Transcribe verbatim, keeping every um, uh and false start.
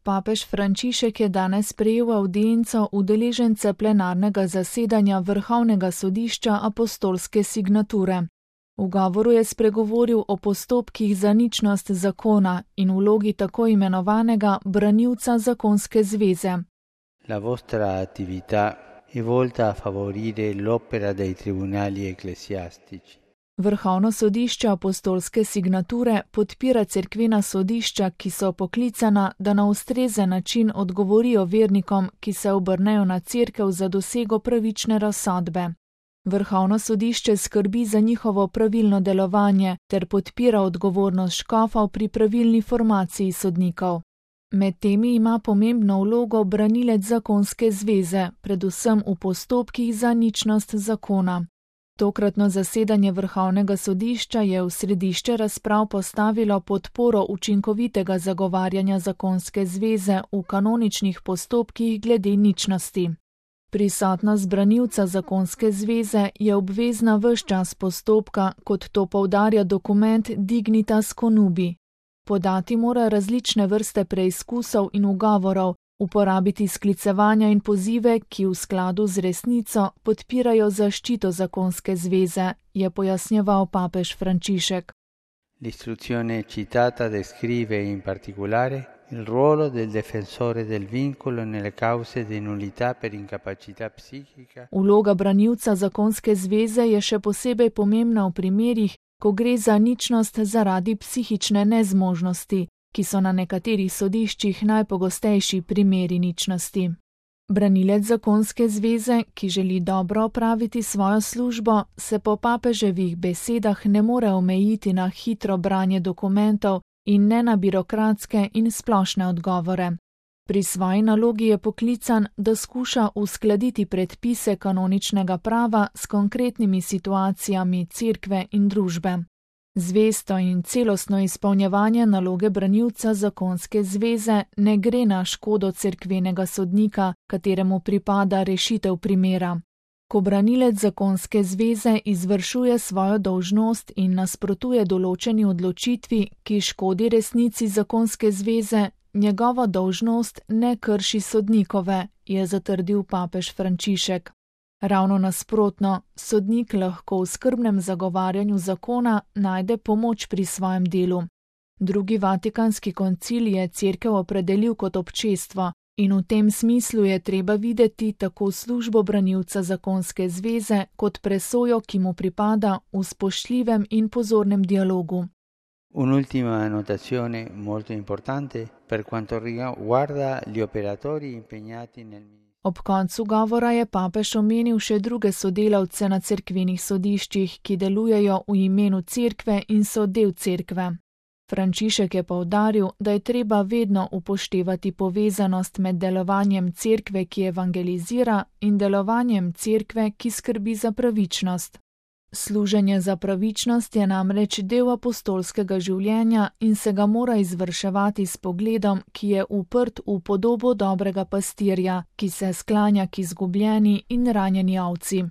Papež Frančišek je danes sprejel avdienco udeležence plenarnega zasedanja Vrhovnega sodišča apostolske signature. V govoru je spregovoril o postopkih za ničnost zakona in vlogi tako imenovanega branilca zakonske zveze. La vostra attività è volta a favorire l'opera dei tribunali ecclesiastici. Vrhovno sodišče apostolske signature podpira cerkvena sodišča, ki so poklicana, da na ustrezen način odgovorijo vernikom, ki se obrnejo na cerkev za dosego pravične razsodbe. Vrhovno sodišče skrbi za njihovo pravilno delovanje ter podpira odgovornost škofov pri pravilni formaciji sodnikov. Med temi ima pomembno vlogo branilec zakonske zveze, predvsem v postopkih za ničnost zakona. Tokratno zasedanje Vrhovnega sodišča je v središče razprav postavilo podporo učinkovitega zagovarjanja zakonske zveze v kanoničnih postopkih glede ničnosti. Prisotnost branilca zakonske zveze je obvezna ves čas postopka, kot to poudarja dokument Dignitas Conubi. Podati mora različne vrste preizkusov in ugovorov, uporabiti sklicevanja in pozive, ki v skladu z resnico podpirajo zaščito zakonske zveze, je pojasnjeval papež Frančišek. L'istruzione citata descrive in particolare il ruolo del difensore del vincolo nelle cause di nullità per incapacità psichica. Vloga branilca zakonske zveze je še posebej pomembna v primerih, ko gre za ničnost zaradi psihične nezmožnosti, ki so na nekaterih sodiščih najpogostejši primeri ničnosti. Branilec zakonske zveze, ki želi dobro opraviti svojo službo, se po papeževih besedah ne more omejiti na hitro branje dokumentov in ne na birokratske in splošne odgovore. Pri svoji nalogi je poklican, da skuša uskladiti predpise kanoničnega prava s konkretnimi situacijami cerkve in družbe. Zvesto in celostno izpolnjevanje naloge branilca zakonske zveze ne gre na škodo cerkvenega sodnika, kateremu pripada rešitev primera. Ko branilec zakonske zveze izvršuje svojo dolžnost in nasprotuje določeni odločitvi, ki škodi resnici zakonske zveze, njegova dolžnost ne krši sodnikove, je zatrdil papež Frančišek. Ravno nasprotno, sodnik lahko v skrbnem zagovarjanju zakona najde pomoč pri svojem delu. Drugi vatikanski koncil je cerkev opredelil kot občestvo in v tem smislu je treba videti tako službo branilca zakonske zveze kot presojo, ki mu pripada v spoštljivem in pozornem dialogu. Un'ultima annotazione molto importante per quanto riguarda gli operatori impegnati nel. Ob koncu govora je papež omenil še druge sodelavce na cerkvenih sodiščih, ki delujejo v imenu cerkve in so del cerkve. Frančišek je poudaril, da je treba vedno upoštevati povezanost med delovanjem cerkve, ki evangelizira, in delovanjem cerkve, ki skrbi za pravičnost. Služenje za pravičnost je namreč del apostolskega življenja in se ga mora izvrševati s pogledom, ki je uprt v podobo dobrega pastirja, ki se sklanja k izgubljeni in ranjeni ovci.